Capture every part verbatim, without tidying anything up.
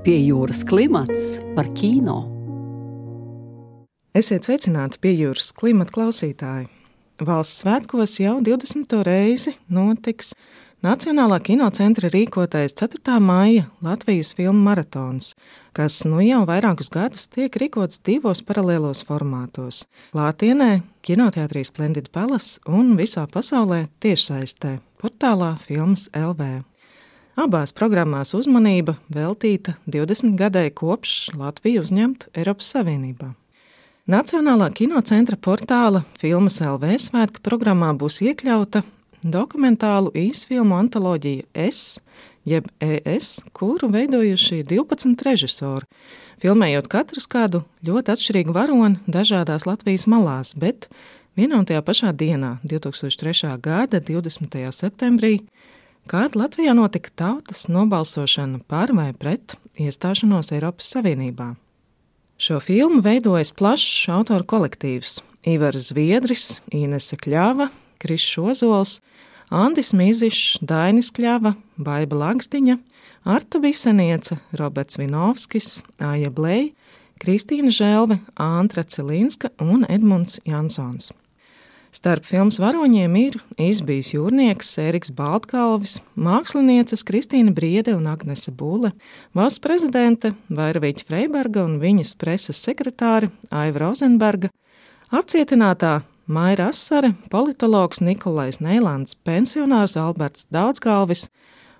Pie jūras klimats par kino. Esiet sveicināti pie jūras klimata klausītāji. Valsts svētkos jau divdesmito reizi notiks Nacionālā kinocentra rīkotais ceturtā maija Latvijas filmu maratons, kas nu jau vairākus gadus tiek rīkots divos paralēlos formātos – klātienē, kinoteātrī Splendid Palace un visā pasaulē tiešsaistē, portālā Filmas L V. Abās programmās uzmanība veltīta divdesmit gadai kopš Latviju uzņemt Eiropas Savienībā. Nacionālā kinocentra portāla Filmas L V svētku programmā būs iekļauta dokumentālu īsfilmu antoloģija Es, jeb E S, kuru veidojuši divpadsmit režisori, filmējot katrs kādu ļoti atšķirīgu varoni dažādās Latvijas malās, bet vienā un tajā pašā dienā, divtūkstoš trešā gada divdesmitajā septembrī, kad Latvijā notika tautas nobalsošana par vai pret iestāšanos Eiropas Savienībā. Šo filmu veidojas plašs autoru kolektīvs – Ivars Zviedris, Inese Kļava, Krišs Ozols, Andis Mizišs, Dainis Kļava, Baiba Lagzdiņa, Arta Visenieca, Roberts Vinovskis, Aija Blej, Kristīna Želve, Antra Celinska un Edmunds Jansons. Starp filmas varoņiem ir izbijis jūrnieks Ēriks Baltkalvis, mākslinieces Kristīna Briede un Agnese Bule, valsts prezidente Vairaviķa Freiberga un viņas preses sekretāre Aiva Rozenberga, apcietinātā Maira Asare, politologs Nikolais Neilands, pensionārs Alberts Daudzgalvis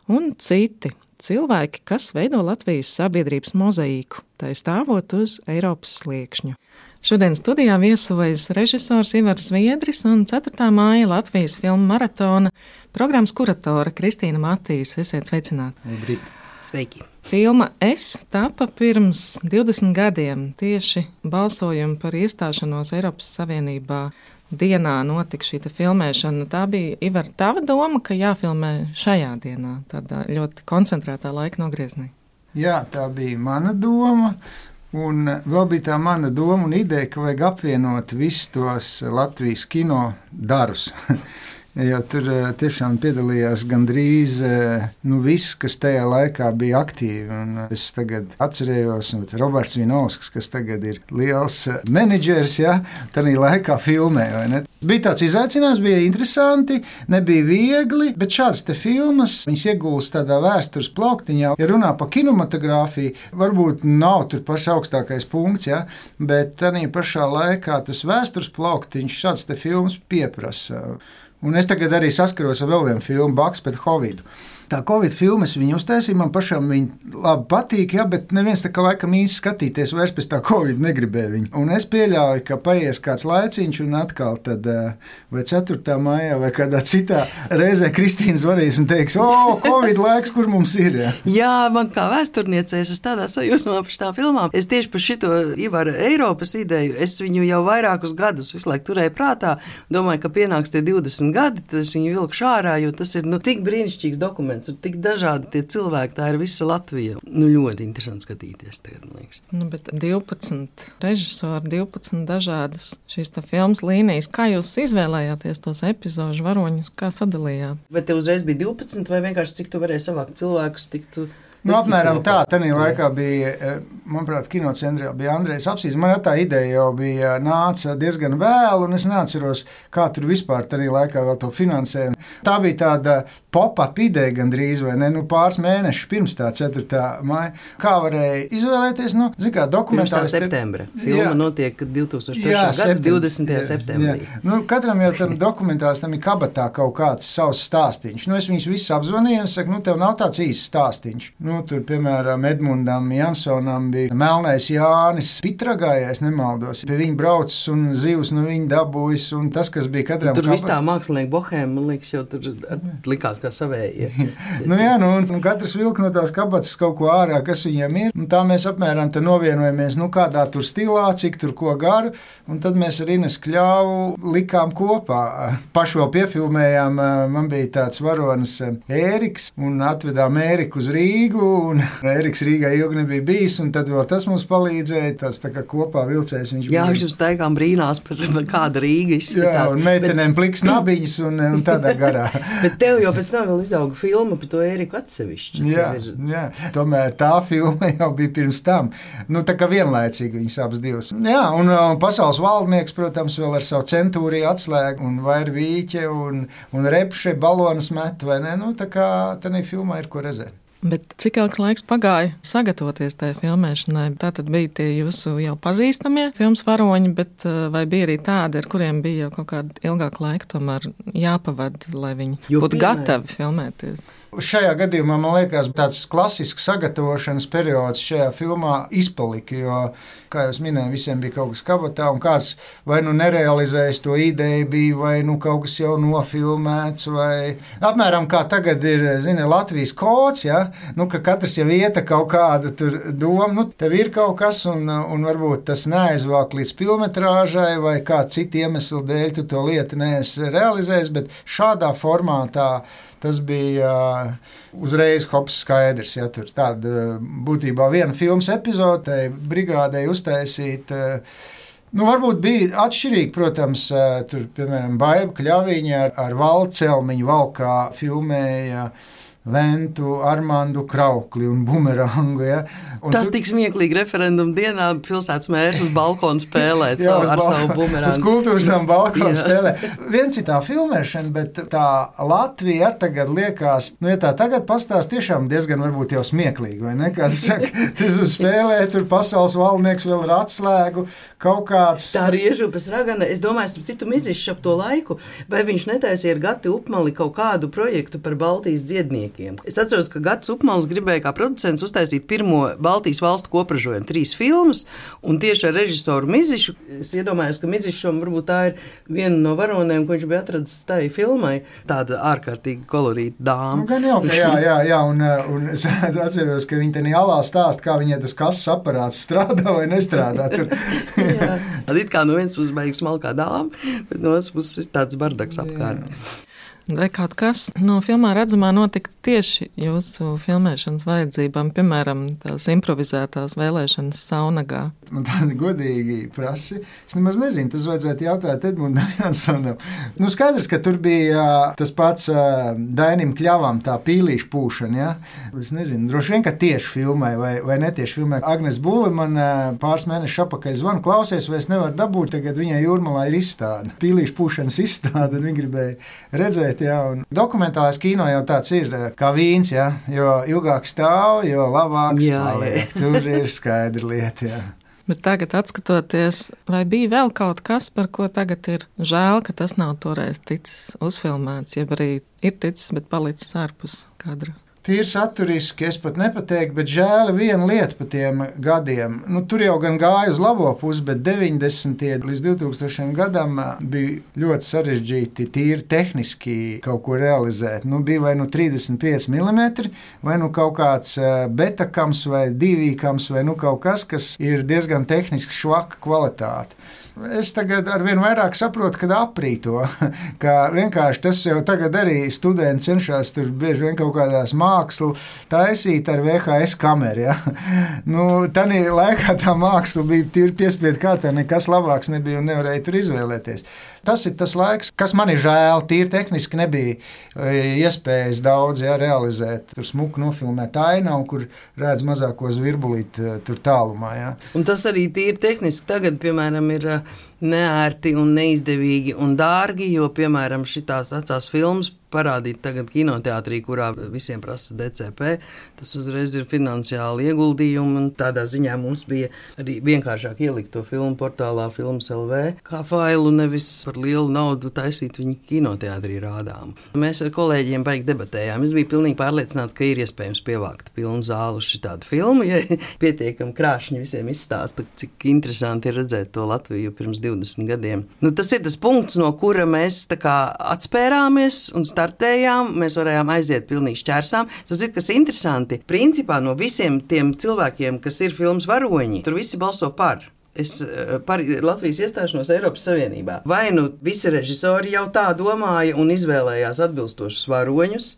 un citi cilvēki, kas veido Latvijas sabiedrības mozaīku, tai stāvot uz Eiropas sliekšņa. Šodien studijā viesojas režisors Ivars Zviedris un ceturtā maija Latvijas filmu maratona programmas kuratore Kristīna Matīs. Esiet sveicināti. Labrīt. Sveiki. Filma Es tapa pirms divdesmit gadiem. Tieši balsojumu par iestāšanos Eiropas Savienībā dienā notika šī filmēšana. Tā bija, Ivar, tava doma, ka jāfilmē šajā dienā, tādā ļoti koncentrētā laika nogrieznī? Jā, tā bija mana doma. Un vēl bija tā mana doma un ideja, ka vajag apvienot visus tos Latvijas kino darus. Jo tur tiešām piedalījās gandrīz nu, viss, kas tajā laikā bija aktīvi. Un es tagad atcerējos, ka Roberts Vinovskis, kas tagad ir liels menedžers, ja, tādā laikā filmē. Bija tāds izaicinājums, bija interesanti, nebija viegli, bet šādas te filmas, viņas iegulst tādā vēstures plauktiņā. Ja runā par kinematogrāfiju, varbūt nav tur pašs augstākais punkts, ja, bet tādā pašā laikā tas vēstures plauktiņš šādas te filmas pieprasa. Un es tagad arī saskaros ar vēl vienu filmu, Baks pret Covidu. Tā Covid filmas viņu uztaisīja, man pašam viņa labi patīk, ja, bet neviens tā kā laikam īsti skatīties vairs pēc tā Covid negribēja viņu. Un es pieļauju, ka paies kāds laiciņš un atkal tad vai ceturtā maijā vai kādā citā reizē Kristīna zvanīs un teiks, o, Covid laiks, kur mums ir, ja? Jā, man kā vēsturniecei, es tādā sajūsmā par šitā filmā. Es tieši par šito Ivara Eiropas ideju, es viņu jau vairākus gadus visu laiku turēju prātā, domāju, ka pienāks tie divdesmit gadi, tad es viņu vilkšu ārā, jo tas ir, nu, tik brīnišķīgs dokuments. Ir tik dažādi tie cilvēki, tā ir visa Latvija. Nu, ļoti interesanti skatīties tagad, man liekas. Nu, bet divpadsmit režisori, divpadsmit dažādas šīs tā filmas līnijas. Kā jūs izvēlējāties tos epizožu varoņus, kā sadalījāt? Bet te uzreiz bija divpadsmit vai vienkārši cik tu varēji savākt cilvēkus, tik tu... Nu, apmēram tā, tanī laikā bija, manuprāt, kinocentrā bija Andrejs Apsīs. Man tā ideja jau bija nāca diezgan vēlu, un es neatceros, kā tur vispār tanī laikā vēl to finansējumu. Tā bija tāda pop-up ideja gandrīz, vai ne, nu pāris mēnešus pirms tā ceturtā maija. Kā varēja izvēlēties, nu, zin kā, dokumentāls... Pirms tā septembra. Filma jā. Notiek divtūkstoš trešā gada divdesmitajā septembrī. Jā. Nu, katram jau tam dokumentāls tam ir kabatā kaut kāds savs stāstīņš. Nu, es viņus visus apzvanīju un saku, nu, tev nav tāds īsts stāstīņš. Nu, tur, piemēram, Edmundam Jansonam bija Melnais Jānis Pitragā, ja es nemaldos. Pie viņa braucis un zivs no viņa dabūjis, un tas, kas bija katram... Tur viss tā mākslinieka bohēma, man liekas, jau tur likās kā savējie. Nu jā, nu, un, un katrs vilk no tās kabatas kaut ko ārā, kas viņam ir. Un tā mēs apmēram te novienojamies, nu, kādā tur stilā, cik tur ko garu, un tad mēs ar Ines Kļavu likām kopā. Paši vēl piefilmējām, man bija tāds varonis Ēriks, un atvedām Ēriku uz Rīgu, Rīgu, un Eriks Rīgā ilgi nebija bijis, un tad vēl tas mums palīdzēja, tas tā kā kopā vilcējs viņš Jā, bija. viņš uz taigām brīnās par, par kāda Rīga izskatās. Jā, un meitenēm bet... pliks nabiņas un, un tādā garā. Bet tev jau pēc tam vēl izauga filma par to Eriku atsevišķi. Jā, ir... jā, tomēr tā filma jau bija pirms tam. Nu, tā kā vienlaicīgi viņas abas divas. Jā, un, un pasaules valdnieks, protams, vēl ar savu centūriju atslēgu, un vair vīķe, un, un repše, balonas met, vai ne? Nu, tā kā tādā filmā ir ko redzēt. Bet cik ilgs laiks pagāja sagatavoties tajā filmēšanai? Tā tad bija tie jūsu jau pazīstamie filmas varoņi, bet vai bija arī tādi, ar kuriem bija jau kaut kādu ilgāku laiku tomēr jāpavada, lai viņi jo būtu piemēr. gatavi filmēties? Šajā gadījumā, man liekas, tāds klasisks sagatavošanas periods šajā filmā izpalika, jo, kā jau minēju, visiem bija kaut kas kabatā, un kāds vai nu nerealizējis to ideju bija, vai nu kaut kas jau nofilmēts, vai apmēram kā tagad ir, zini, Latvijas kods, ja? Nu, ka katrs jau ieta kaut kādu tur domu, nu, tev ir kaut kas, un, un varbūt tas neaizvāk līdz pilnmetrāžai, vai kā citu iemeslu dēļ tu to lietu neesi realizējis, bet šādā formātā tas bija uh, uzreiz hops skaidrs, ja tur tāda uh, būtībā viena filmas epizode brigādei uztaisīt. Uh, nu, varbūt bija atšķirīgi, protams, uh, tur, piemēram, Baiba Kļaviņa ar, ar Valcelmiņu valkā filmēja Ventu, Armandu Kraukli un Bumerangu. Ja? Un Tas tur... tik smieklīgi referendumu dienā pilsētas mērs uz balkonu spēlēt jā, savu, ar balkonu, savu bumerangu. Uz kultūras tam balkonu spēlē. Viens ir tā filmēšana, bet tā Latvija ar tagad liekas, nu, ja tā tagad pastāst, tiešām diezgan varbūt jau smieklīgi, vai ne? Kā tas saka, tas uz spēlē, tur pasaules valdnieks vēl ar atslēgu, kaut kāds... Tā Riežupes ragana, es domāju, esmu citu mizišķi ap to laiku, vai viņš netaisīja ar Gati Upmali kaut kādu projektu par Baltijas dziednieku. Es atceros, ka Gatis Upmals gribēja kā producents uztaisīt pirmo Baltijas valstu kopražojumu, trīs filmas, un tieši ar režisoru Mizišu. Es iedomājos, ka Mizišam varbūt tā ir viena no varonēm, ko viņš bija atradis tai filmai. Tāda ārkārtīgi kolorīta dāma. Nu, gan jau, ka jā, jā, jā, un, un es atceros, ka viņi tenī alā stāst, kā viņai tas kases aparāts strādā vai nestrādā. Tur. Jā, it kā no viens puses baigs smalkā dāma, bet no otras puses viss tāds bardaks apkārt. Vai kaut kas no filmā redzamā notika tieši jūsu filmēšanas vajadzībām, piemēram, tās improvizētās vēlēšanas Saunagā? Man tādi godīgi prasi. Es nemaz nezinu, tas vajadzētu jautāt Edmundam Jansonam. Nu, skaidrs, ka tur bija tas pats Dainim Kļavam tā pīlīšu pūšana, ja? Es nezinu, droši vien, ka tieši filmai vai, vai netieši filmai. Agnes Būle man pāris mēnešus apakaļ zvanu, klausies, vai es nevaru dabūt, tagad viņai Jūrmalā ir izstāde. Pīlīšu pūšanas izstāde, un viņi gribēja redzēt. Ja, dokumentālais kino jau tāds ir kā vīns, ja, jo ilgāk stāv, jo labāks jā, paliek. Jā. Tur ir skaidra lieta. Ja. Bet tagad, atskatoties, vai bija vēl kaut kas, par ko tagad ir žēl, ka tas nav toreiz ticis uzfilmēts, jeb arī ir ticis, bet palicis ārpus kadra? Tīri saturiski, es pat nepateiktu, bet žēl viena lieta pa tiem gadiem. Nu, tur jau gan gāja uz labo pusi, bet deviņdesmitie līdz divtūkstošajam gadam bija ļoti sarežģīti tīri tehniski kaut ko realizēt. Nu, bija vai nu trīsdesmit pieci milimetri, vai nu kaut kāds betakams vai divīkams, vai nu kaut kas, kas ir diezgan tehniski švaka kvalitāte. Es tagad arvien vairāk saprotu, kad aprī to, ka vienkārši tas jau tagad arī studenti cenšas tur bieži vien kaut kādās mākslu taisīt ar V H S kameru, ja. Nu, tanī laikā tā māksla bija tīri piespiedu kārtā, nekas labāks nebija un nevarēja tur izvēlēties. Tas ir tas laiks, kas man ir žēl, tīri tehniski nebija iespējas daudz, ja, realizēt. Tur smuku nofilmēt ainavu, kur redz mazāko zvirbulīti tur tālumā, ja. Un tas arī tīri tehniski tagad, piemēram, ir neērti un neizdevīgi un dārgi, jo, piemēram, šitās vecās filmas parādīt tagad kinoteātrī, kurā visiem prasa D C P, tas uzreiz ir finansiāli ieguldījumi, un tādā ziņā mums bija arī vienkāršāk ielikt to filmu portālā Films L V, kā failu, nevis par lielu naudu taisīt viņu kinoteātrī rādām. Mēs ar kolēģiem baigi debatējām. Es biju pilnīgi pārliecināta, ka ir iespējams pievākt pilnu zāli uz šitādu filmu, ja pietiekam krāšņi visiem izstāsta, cik interesanti ir redzēt to Latviju pirms divdesmit gadiem. Nu, tas ir tas punkts, no kura mēs tā kā atspērāmies un startējām, mēs varējām aiziet pilnīgi šķērsām. Tas ir kas interesanti. Principā no visiem tiem cilvēkiem, kas ir filmas varoņi, tur visi balso par. Es par Latvijas iestāšanos Eiropas Savienībā. Vai nu visi režisori jau tā domāja un izvēlējās atbilstošus varoņus,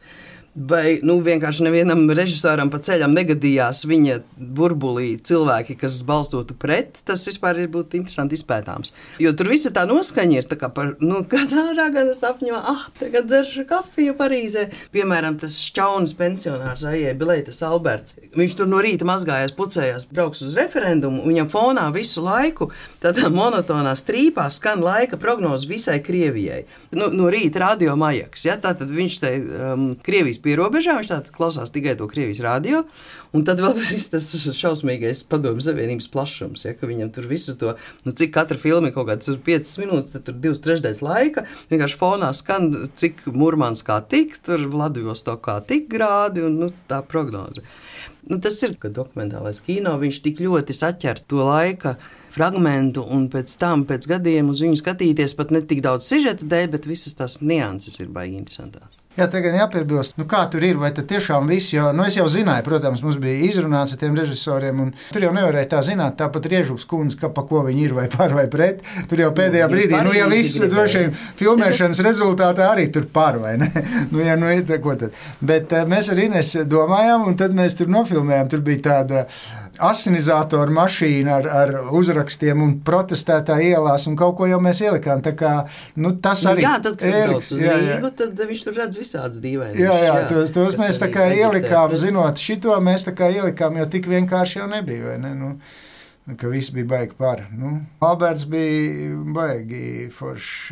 Vai nu, vienkārši nevienam režisoram pa ceļam negadījās viņa burbulī cilvēki, kas balstotu pret, tas vispār ir būtu interesanti izpētāms. Jo tur visa tā noskaņa ir tā kā par, nu, kādā ragana sapņo, ah, tagad dzeršu kafiju Parīzē. Piemēram, tas šķaunas pensionārs Aijai Bileitas Alberts. Viņš tur no rīta mazgājās, pucējās, brauks uz referendumu, viņam fonā visu laiku tādā monotonā strīpā skan laika prognoze visai Krievijai. Nu, no rīta radio Majaks, ja, tātad viņš te um, Krievijas pierobežā, viņš tātad klausās tikai to Krievijas radio, un tad vēl viss tas šausmīgais Padomju Savienības plašums, ja, ka viņam tur visu to, nu cik katra filma ir kaut kāds piecas minūtes, tad tur divas trešdaļas laika, vienkārši fonā skan, cik Murmanskā tik, tur Vladivostokā tik grādi, un nu, tā prognoze. Nu, tas ir, ka dokumentālais kino, viņš tik ļoti saķer to laika fragmentu, un pēc tam, pēc gadiem uz viņu skatīties pat ne tik daudz sižeta dēļ, bet visas tās nianses ir baigi interesantās. Jā, tagad jāpiebilst, nu kā tur ir, vai tad tiešām viss, jo, nu es jau zināju, protams, mums bija izrunāts ar tiem režisoriem, un tur jau nevarēja tā zināt, tāpat Riežuks kundze, ka pa ko viņi ir, vai par vai pret, tur jau pēdējā brīdī, nu jau viss, droši vien, filmēšanas rezultātā arī tur par, vai ne? Nu, ja, nu, ko tad? Bet mēs ar Ines domājām, un tad mēs tur nofilmējām, tur bija tāda asinizātoru mašīna ar, ar uzrakstiem un protestētā ielās, un kaut ko jau mēs ielikām, tā kā, nu tas arī... Jā, tad, kad brauc uz Rīgu, tad viņš tur redz visādas dīvainas. Jā, jā, tos, tos mēs tā kā ielikām, zinot šito, mēs tā kā ielikām, jo tik vienkārši jau nebija, vai ne, nu... ka viss bija baigi par. Nu, Alberts bija baigi foršs.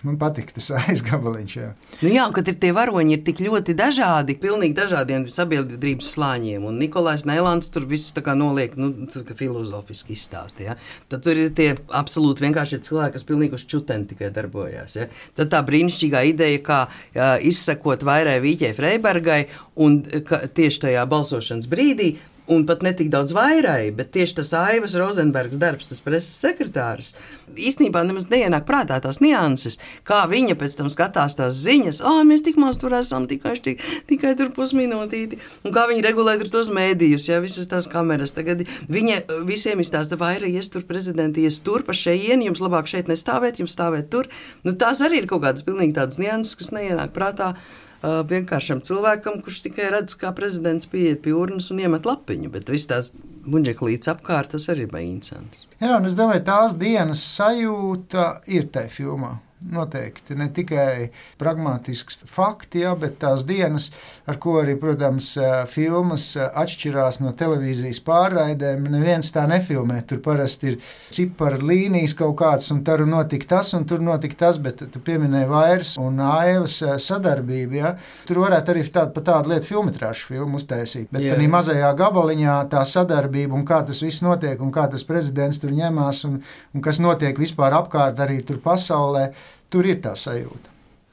Man patika tas aizgabaliņš. Jā, nu jā, kad ir tie varoņi ir tik ļoti dažādi, pilnīgi dažādiem sabiedrības slāņiem, un Nikolais Neilands tur visu tā kā noliek, nu, filozofiski izstāst, ja. Tad tur ir tie absolūti vienkārši cilvēki, kas pilnīgi uz čuteni tikai darbojās, ja. Tad tā brīnišķīgā ideja, kā jā, izsekot Vairai Vīķei Freibergai, un ka, tieši tajā balsošanas brīdī, un pat ne tik daudz Vairai, bet tieši tas Aivas Rozenbergs darbs, tas preses sekretārs, īstenībā nemaz neienāk prātā tās nianses, kā viņa pēc tam skatās tās ziņas, ā, mēs tik maz tur esam, tikai, tik, tikai tur pusminūtīti, un kā viņa regulē tur tos mēdījus, ja, visas tās kameras. Tagad viņa visiem izstāsta, Vaira, ies tur prezidenti, ies tur pa šejieni, jums labāk šeit nestāvēt, jums stāvēt tur. Nu, tās arī ir kaut kādas pilnīgi tādas nianses, kas neienāk prātā Uh, vienkāršam cilvēkam, kurš tikai redz, kā prezidents pieiet pie urnas un iemet lapiņu, bet viss tās buņģeklītes apkārt, tas arī bija interesants. Jā, un es domāju, tās dienas sajūta ir tai filmā. Noteikti, ne tikai pragmatisks fakti, jā, bet tās dienas, ar ko arī, protams, filmas atšķirās no televīzijas pārraidēm, neviens tā nefilmē. Tur parasti ir ciparu līnijas kaut kāds, un tur notika tas, un tur notika tas, bet tu pieminēji Vairas un Aivas sadarbību, jā. Tur varētu arī tādu, pa tādu lietu filmetrāšu filmu uztaisīt, bet tādā mazajā gabaliņā tā sadarbība un kā tas viss notiek, un kā tas prezidents tur ņemās, un, un kas notiek vispār apkārt arī tur pasaulē, tur ir tā sajūta.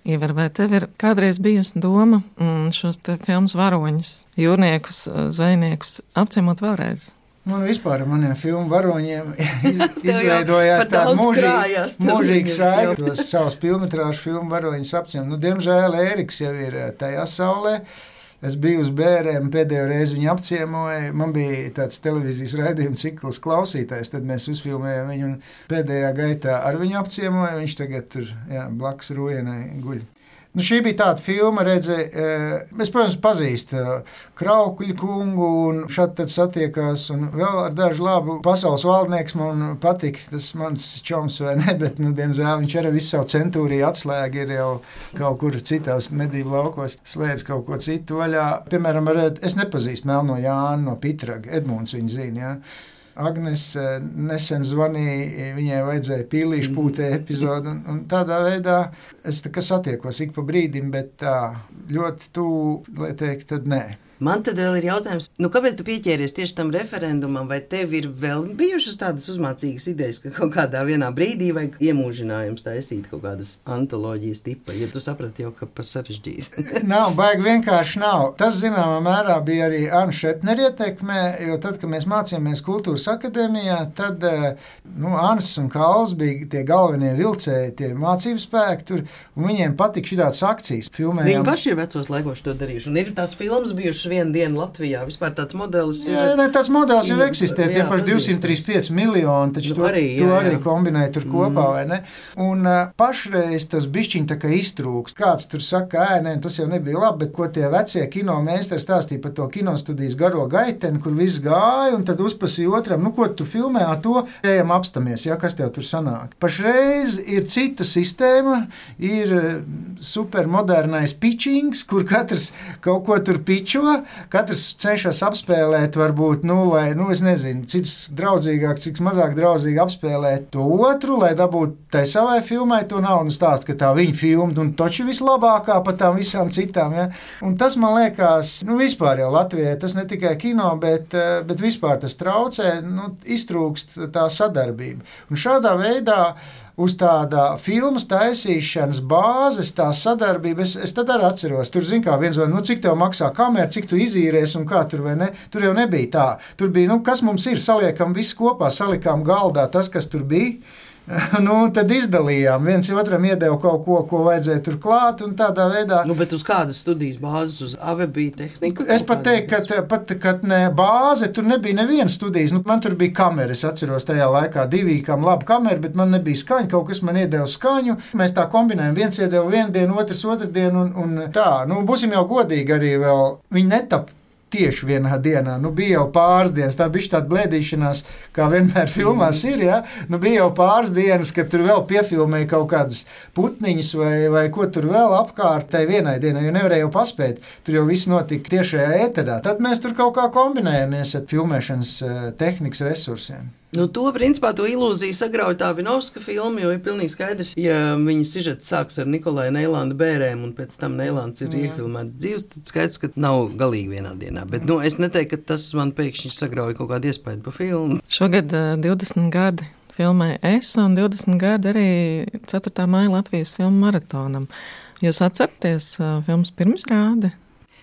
Ivar, vai tev ir kādreiz bijusi doma šos te filmas varoņus, jūrniekus, zvejniekus apciemot vēlreiz? Man vispār ar maniem filmu varoņiem iz, izveidojās tāda mūžīga, mūžīga saika. Tos savus filmetrāžu filmu varoņus apciemot. Nu, diemžēl Ēriks jau ir tajā saulē. Es biju uz bērēm, pēdējo reizi viņu apciemoju. Man bija tāds televīzijas raidījuma cikls klausītājs, tad mēs uzfilmējām viņu un pēdējā gaitā ar viņu apciemoju. Viņš tagad tur, jā, blakus Rujenai guļ. Nu, šī bija tāda filma, redzi, es, protams, pazīstu Kraukļu kungu un šad tad satiekās un vēl ar dažu labu pasaules valdnieks man patika, tas mans čoms vai ne, bet, nu, diemžēl viņš arī visu savu centūriju atslēgi ir jau kaut kur citās medību laukos, slēdz kaut ko citu vaļā. Piemēram, es nepazīstu Melno Jānu no Pitraga, Edmunds viņu zina, jā. Agnes nesen zvanīja, viņai vajadzēja pīlīšu pūtē epizodu, un, un tādā veidā es tā kā satiekos ik pa brīdim, bet tā ļoti tuvu, lai teikt, tad nē. Man tad vēl ir jautājums, nu kāpēc tu pieķēries tieši tam referendumam, vai tev ir vēl bijušas tādas uzmācīgas idejas, ka kaut kādā vienā brīdī vajag iemūžinājums taisīt kaut kādas antoloģijas tipa, ja tu saprati jau, ka pa sarežģīti? Nav, baigi vienkārši nav. Tas, zināmā mērā, bija arī Anna Šepnera ietekmē, jo tad, kad mēs mācījāmies Kultūras akadēmijā, tad, nu, Annas un Kāls bija tie galvenie vilcēji, tie mācību spēki tur, un viņiem patika šitādas akcijas. Filmējām. Viņi paši ir vecos laikos to darījuši, un ir tās filmas bijušas braukšu vienu dienu Latvijā. Vispār tāds modelis ir. Jā, ne, tas modelis jau eksistē, tie jā, paši divsimt trīsdesmit pieci miljoni, taču Nu, to arī, arī, jā, to arī jā. kombinē tur kopā, Mm. vai ne? Un uh, pašreiz tas bišķiņ tā kā iztrūks. Kāds tur saka, ē, nē, tas jau nebija labi, bet ko tie vecie kino meistari stāstīja par to kinostudijas garo gaiteni, kur viss gāja, un tad uzprasīja otram, nu, ko tu filmē, a to ejam apstamies, ja, kas tev tur sanāk. Pašreiz ir cita sistēma, ir supermodernais pitchings, kur katrs kaut ko tur pičo, katrs cenšas apspēlēt, varbūt, nu, vai, nu, es nezinu, cits draudzīgāk, cik mazāk draudzīgi apspēlēt to otru, lai dabūtu tai savai filmai to naudu un stāst, ka tā viņa filma, un toči vislabākā par tām visām citām, ja. Un tas, man liekas, nu, vispār jau Latvijai, tas ne tikai kino, bet, bet vispār tas traucē, nu, iztrūkst tā sadarbība. Un šādā veidā uz tāda filmas taisīšanas bāzes, tā sadarbība, es, es tad arī atceros, tur zin kā viens vai, nu, cik tev maksā kamera, cik tu izīries un kā tur vai ne, tur jau nebija tā. Tur bija, nu, kas mums ir, saliekam visu kopā, salikām galdā tas, kas tur bija. Nu, tad izdalījām, viens otram iedeva kaut ko, ko vajadzēja tur klāt, un tādā veidā. Nu, bet uz kādas studijas bāzes, uz A V bija tehnika? Es pat teiktu, ka pat, kad ne bāze, tur nebija nevienas studijas. Nu, man tur bija kamera, es atceros tajā laikā divīkām labu kameru, bet man nebija skaņa, kaut kas man iedeva skaņu. Mēs tā kombinējam, viens iedeva vienu dienu, otrs otru dienu, un, un tā. Nu, būsim jau godīgi arī vēl, viņi netap tieši vienā dienā. Nu, bija jau pāris dienas, tā bija tāda blēdīšanās, kā vienmēr filmās ir, ja? Nu, bija jau pāris dienas, kad tur vēl piefilmēja kaut kādas putniņas vai, vai ko tur vēl apkārt tai vienai dienai, jo nevarēja jau paspēt. Tur jau viss notika tiešajā ēterā. Tad mēs tur kaut kā kombinējamies ar filmēšanas tehnikas resursiem. Nu, to, principā, to ilūziju sagrauj tā Vinovska filma, jo ir pilnīgi skaidrs, ja viņas sižets sāks ar Nikolai Neilanda bērēm un pēc tam Neilands ir iefilmēts dzīves, tad skaidrs, ka nav galīgi vienā dienā. Bet, nu, es neteiktu, ka tas man pēkšņi sagrauj kaut kādu iespēju par filmu. Šogad uh, divdesmit gadi filmai Es un divdesmit gadi arī ceturtā maija Latvijas filmu maratonam. Jūs atceraties uh, filmas pirmizrādi?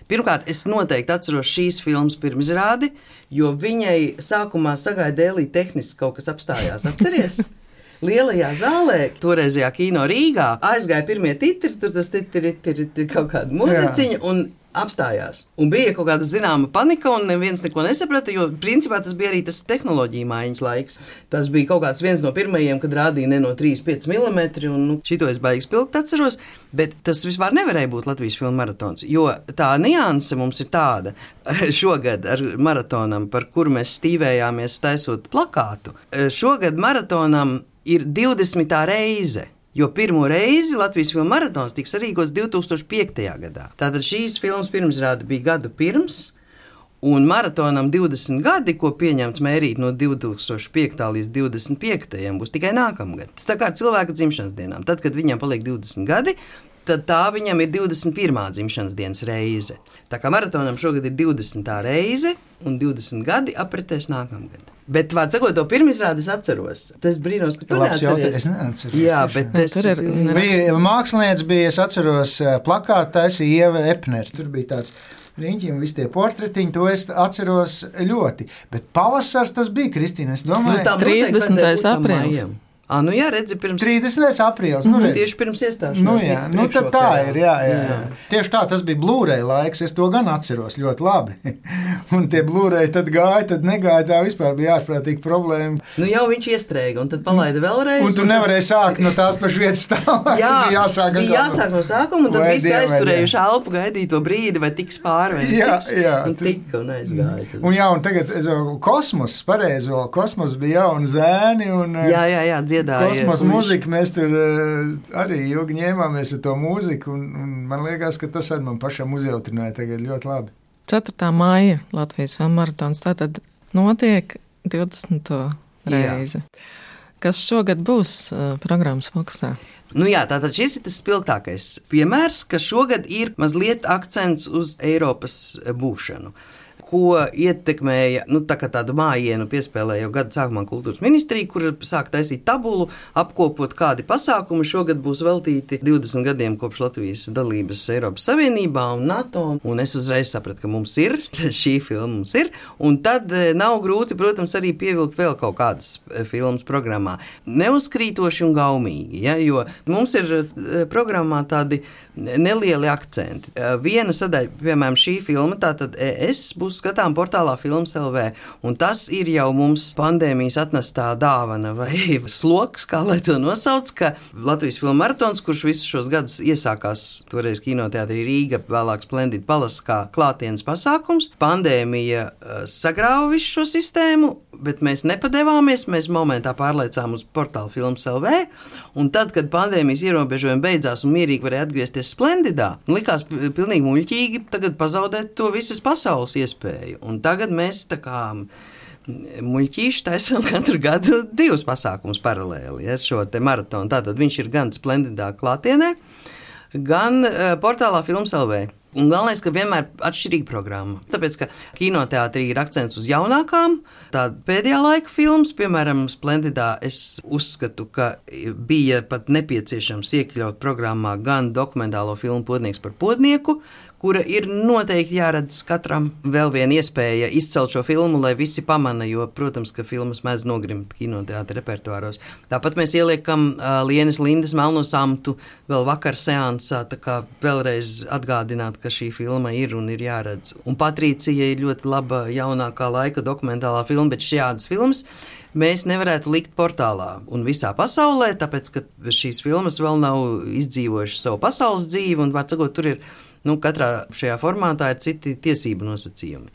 Pirmkārt, es noteikti atceros šīs filmas pirmizrādi, jo viņai sākumā sagāja dēlī tehniski kaut kas apstājās. Atceries? Lielajā zālē, toreizajā kino Rīgā, aizgāja pirmie titri, tur tas titri, titri, titri kaut kāda muziciņa, un apstājās. Un bija kaut kāda zināma panika, un neviens neko nesaprata, jo principā tas bija arī tas tehnoloģija maiņas laiks. Tas bija kaut kāds viens no pirmajiem, kad rādīja ne no trīs pieci milimetri, un nu, šito es baigi spilgt atceros, bet tas vispār nevarēja būt Latvijas filmu maratons, jo tā nianse mums ir tāda šogad ar maratonam, par kuru mēs stīvējāmies taisot plakātu. Šogad maratonam ir divdesmitā reize. Jo pirmo reizi Latvijas filmu maratons tiks sarīkots divi tūkstoši piektajā gadā. Tātad šīs filmas pirmizrāde bija gadu pirms, un maratonam divdesmit gadi, ko pieņemts mērīt no divi tūkstoši piektā līdz divdesmit piektajam, būs tikai nākamgad. Tas tā kā cilvēka dzimšanas dienām. Tad, kad viņam paliek divdesmit gadi, tad tā viņam ir divdesmit pirmā dzimšanas dienas reize. Tā kā maratonam šogad ir divdesmitā reize, un divdesmit gadi apritēs nākamgad. Bet, vārds sakot, to pirmizrādi es atceros. Tas brīnos, ka tu neatceries. Es neatceros. Jā, bet es... Tur ir... Bija, mākslinieci bija, es atceros, plakātu taisīja Ieva Epner. Tur bija tāds riņķi un visi tie portretiņi, to es atceros ļoti. Bet pavasars tas bija, Kristīna, es domāju. Nu, trīsdesmitais aprīlis. Ah, nu jā, redzi, pirms... trīsdesmitais aprīlis, nu redzi. Tieši pirms iestāšanās. Nu jā, nu tad tā ir, jā, jā, jā. Tieši tā, tas bija Blu-ray laiks, es to gan atceros ļoti labi. Un tie Blu-ray tad gāja, tad negāja, tā vispār bija ārprātīga problēma. Nu jau viņš iestrēga, un tad palaida vēlreiz. Un tu nevarēji sākt no tās pašas vietas stāvā. Jā, bija jāsāk, bija jāsāk no sākuma, un tad vai visi dien, aizturējuši elpu, gaidīja to brīdi, vai tiks pāri, vai jā, tiks. Jā, un tu... tika un aizgāja. Tad. Un jā, un tagad es vēl kosmos, pareizi vēl, kosmos bija jauni zēni, un jā, jā, jā, dziedāja. Kosmos mūzika, mēs tur arī ilgi ņēmāmies ar to mūziku, un, un man liekas, ka tas arī man pašam uzjautrināja tagad ļoti labi. ceturtā maija Latvijas filmu maratons tātad notiek divdesmito reizi. Jā. Kas šogad būs uh, programmas fokusā? Nu jā, tātad šis ir tas spilgtākais piemērs, ka šogad ir mazliet akcents uz Eiropas būšanu, ko ietekmēja, nu tā kā tādu mājienu piespēlēja jau gada sākumā kultūras ministrija, kur sāk taisīt tabulu, apkopot kādi pasākumi šogad būs veltīti divdesmit gadiem kopš Latvijas dalības Eiropas Savienībā un NATO, un es uzreiz sapratu, ka mums ir, šī filma mums ir, un tad nav grūti, protams, arī pievilkt vēl kaut kādas filmas programmā. Neuzkrītoši un gaumīgi, ja, jo mums ir programmā tādi nelieli akcenti. Viena sadaļa, piemēram, šī filma, tātad es būs skatām portālā Films L V, un tas ir jau mums pandēmijas atnestā dāvana vai sloks, kā lai to nosauc, ka Latvijas filmu maratons, kurš visus šos gadus iesākās toreiz kinoteātrī Rīga, vēlāk Splendid Palace kā klātienes pasākums. Pandēmija sagrāva visu šo sistēmu, bet mēs nepadevāmies, mēs momentā pārlaicām uz portālu Films L V, un tad, kad pandēmijas ierobežojumi beidzās un mierīgi varēja atgriezties Splendidā, likās pilnīgi muļķīgi tagad pazaudēt to visas pasaules iespēju. Un tagad mēs tā kā muļķīši taisam katru gadu divus pasākumus paralēli, ja, šo te maratonu. Tātad viņš ir gan Splendidā klātienē, gan uh, portālā Films L V. Un galvenais, ka vienmēr atšķirīga programma. Tāpēc, ka kinoteātrī ir akcents uz jaunākām, tāda pēdējā laika filmas, piemēram, Splendidā, es uzskatu, ka bija pat nepieciešams iekļaut programmā gan dokumentālo filmu Podnieks par podnieku, kura ir noteikti jāredz katram. Vēl viena iespēja izcelt šo filmu, lai visi pamana, jo, protams, ka filmas mēdz nogrimt kinoteātra repertuāros. Tāpat mēs ieliekam uh, Lienes Lindas Melno samtu vēl vakar seansā, tā kā vēlreiz atgādināt, ka šī filma ir un ir jāredz. Un Patricija ir ļoti laba jaunākā laika dokumentālā filma, bet šādas filmas mēs nevarētu likt portālā un visā pasaulē, tāpēc, ka šīs filmas vēl nav izdzīvojušas savu pasaules dzīvi, un, var sakot, tur ir Nu, katrā šajā formātā ir citi tiesību nosacījumi.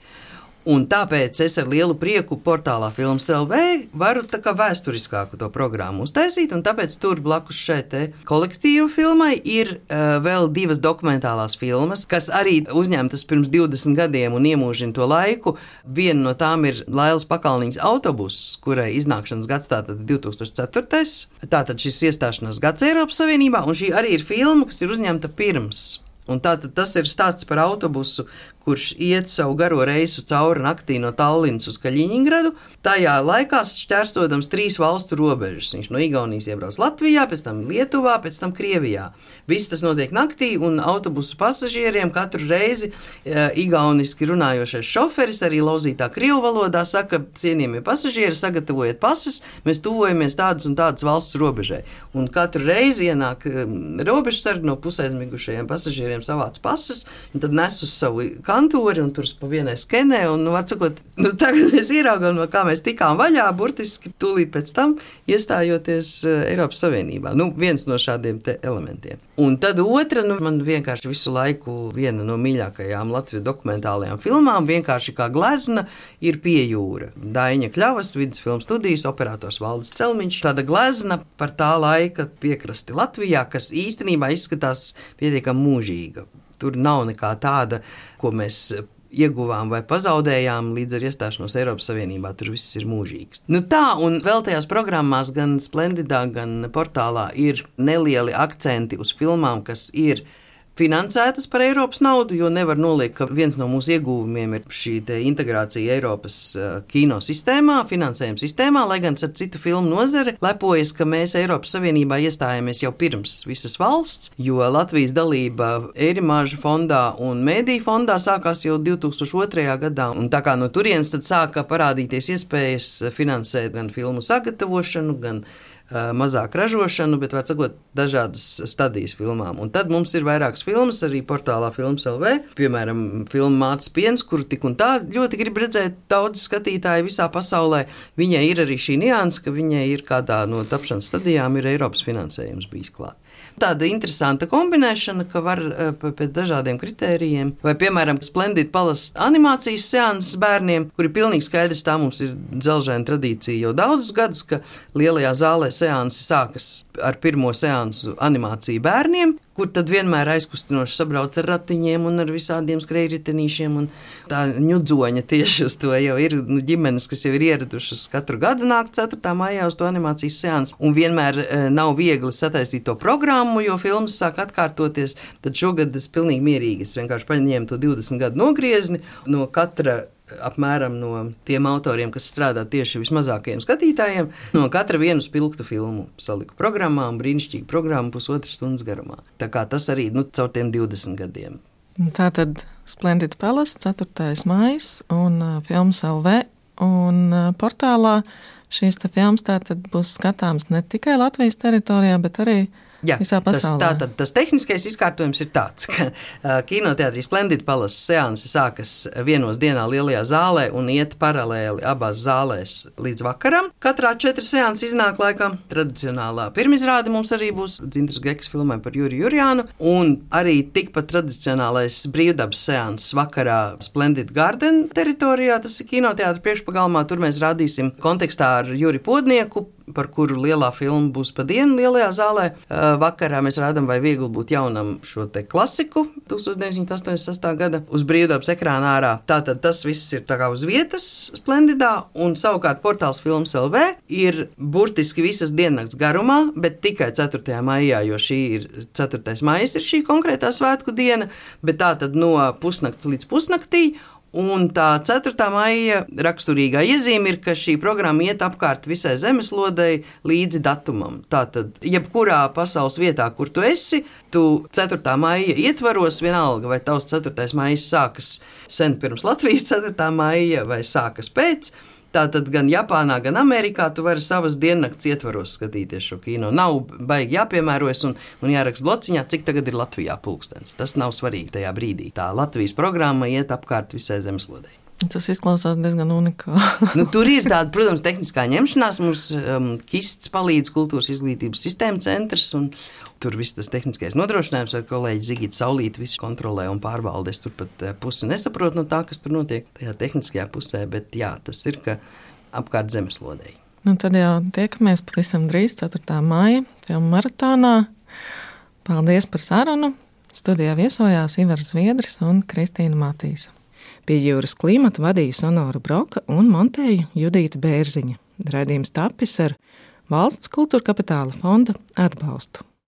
Un tāpēc es ar lielu prieku portālā Films L V varu tā kā vēsturiskāku to programmu uztaisīt, un tāpēc tur blakus šai te kolektīvu filmai ir uh, vēl divas dokumentālās filmas, kas arī uzņemtas pirms divdesmit gadiem un iemūžina to laiku. Viena no tām ir Lailas Pakalniņas autobuss, kurai iznākšanas gads tātad divi tūkstoši ceturtais. Tātad šis iestāšanās gads Eiropas Savienībā, un šī arī ir filma, kas ir uzņemta pirms. Un tātad tas ir stāsts par autobusu, kurš iet savu garo reisu cauri naktī no Tallinas uz Kaļiņingradu. Tajā laikā šķērsodams trīs valstu robežas. Viņš no Igaunijas iebrauc Latvijā, pēc tam Lietuvā, pēc tam Krievijā. Viss tas notiek naktī, un autobusu pasažieriem katru reizi e, igauniski runājošais šoferis, arī lauzītā krievu valodā, saka, cienījamie pasažieri, sagatavojiet pases, mēs tuvojamies tādas un tādas valsts robežai. Un katru reizi ienāk e, robežsargi no pusaizmigušajiem pasažieriem savāc pases, un tad nes uz savu kantori, un tur pa vienai skenē, un, nu, atsakot, nu, tagad mēs ieraugām, no kā mēs tikām vaļā, burtiski tūlīt pēc tam iestājoties Eiropas Savienībā. Nu, viens no šādiem te elementiem. Un tad otra, nu, man vienkārši visu laiku viena no mīļākajām Latvijas dokumentālajām filmām, vienkārši kā glezna, ir Pie jūra. Daiņa Kļavas, Vidas filmu studijas, operators Valdis Celmiņš. Tāda glezna par tā laika piekrasti Latvijā, kas īstenībā izskatās pietiekami mūžīga. Tur nav nekā tāda, ko mēs ieguvām vai pazaudējām līdz ar iestāšanos Eiropas Savienībā. Tur viss ir mūžīgs. Nu tā, un vēl tajās programmās gan Splendidā, gan portālā ir nelieli akcenti uz filmām, kas ir finansētas par Eiropas naudu, jo nevar noliekt, ka viens no mūsu ieguvumiem ir šī te integrācija Eiropas uh, kino sistēmā, finansējuma sistēmā, lai gan ap citu filmu nozare lepojas, ka mēs Eiropas Savienībā iestājāmies jau pirms visas valsts, jo Latvijas dalība Eirimāža fondā un Mēdī fondā sākās jau divi tūkstoši otrajā gadā, un tā kā no turienes tad sāka parādīties iespējas finansēt gan filmu sagatavošanu, gan mazāk ražošanu, bet, var sakot, dažādas stadijas filmām. Un tad mums ir vairākas filmas arī portālā Films L V, piemēram, filma Mātes piens, kuru tik un tā ļoti grib redzēt daudz skatītāji visā pasaulē. Viņai ir arī šī nianse, ka viņai ir kādā no tapšanas stadijām ir Eiropas finansējums bijis klāt. Tāda interesanta kombinēšana, ka var pēc dažādiem kritērijiem, vai, piemēram, Splendid Palace animācijas seanses bērniem, kuri pilnīgi skaidrs, tā mums ir dzelžēna tradīcija jau daudzus gadus, ka lielajā zālē seansi sākas ar pirmo seansu animāciju bērniem, kur tad vienmēr aizkustinoši sabrauc ar ratiņiem un ar visādiem skrejritenīšiem, un tā ņudzoņa tieši uz to jau ir nu, ģimenes, kas jau ir ieradušas katru gadu nākt ceturtā maijā uz to animācijas seansu, un vienmēr e, nav viegli sataisīt to programmu, jo filmas sāk atkārtoties, tad šogad es pilnīgi mierīgi, es vienkārši paņēmu to divdesmit gadu nogriezni no katra apmēram no tiem autoriem, kas strādā tieši vismazākajiem skatītājiem, no katra vienu spilgtu filmu saliku programmā un brīnišķīgu programmu pusotras stundas garumā. Tā kā tas arī, nu, caur tiem divdesmit gadiem. Tātad Splendid Palace, ceturtais maijs un uh, Films L V un uh, portālā šīs te filmas tātad būs skatāms ne tikai Latvijas teritorijā, bet arī Jā, visā tas, pasaulē. tātad, tas tehniskais izkārtojums ir tāds, ka uh, kinoteātrī Splendid Palace seansi sākas vienos dienā lielajā zālē un iet paralēli abās zālēs līdz vakaram. Katrā četri seansi iznāk laikā. Tradicionālā pirmizrāde mums arī būs Dzintars Geks filmai par Juri Jurjānu, un arī tikpat tradicionālais brīvdabas seanss vakarā Splendid Garden teritorijā, tas ir kinoteātra priekšpagalmā. Tur mēs rādīsim kontekstā ar Juri Podnieku, par kuru lielā filma būs pa dienu lielajā zālē. Vakarā mēs rādām, vai viegli būt jaunam šo te klasiku deviņdesmit deviņi astoņdesmit sestā gada uz brīvdabas ekrāna ārā. Tātad tas viss ir tā kā uz vietas Splendidā, un savukārt portāls Films L V ir burtiski visas diennakts garumā, bet tikai ceturtajā maijā, jo šī ir ceturtais maijs ir šī konkrētā svētku diena, bet tātad no pusnakts līdz pusnaktī. Un tā ceturtā maija raksturīgā iezīme ir, ka šī programma iet apkārt visai zemeslodei līdzi datumam. Tātad, jebkurā pasaules vietā, kur tu esi, tu ceturtā maija ietvaros, vienalga, vai tavs ceturtais maijs sākas sen pirms Latvijas ceturtā maija vai sākas pēc. Tātad gan Japānā, gan Amerikā tu vari savas diennakts ietvaros skatīties šo kino. Nav baigi jāpiemērojas un, un jāraksta blociņā, cik tagad ir Latvijā pulkstens. Tas nav svarīgi tajā brīdī. Tā Latvijas programma iet apkārt visai zemeslodei. Tas izklausās diezgan unikāli. Nu, tur ir tāda, protams, tehniskā ņemšanās. Mums um, Kists palīdz Kultūras izglītības sistēma centrs, un tur viss tas tehniskais nodrošinājums ar kolēģi Zigitu Saulīti visu kontrolē un pārvalde. Es tur pat pusi nesaprotu no tā, kas tur notiek tajā tehniskajā pusē, bet jā, tas ir, ka apkārt zemeslodei. Nu, tad jau tiekamies pavisam drīz ceturtā maija filmu maratonā. Paldies par sarunu. Studijā viesojās Ivars Zviedris un Kristīna Matīsa. Pie Jūras klimata vadīja Sonora Broka un montēja Judīta Bērziņa. Raidījums tapis ar Valsts kultūra kapitāla fonda atbalstu.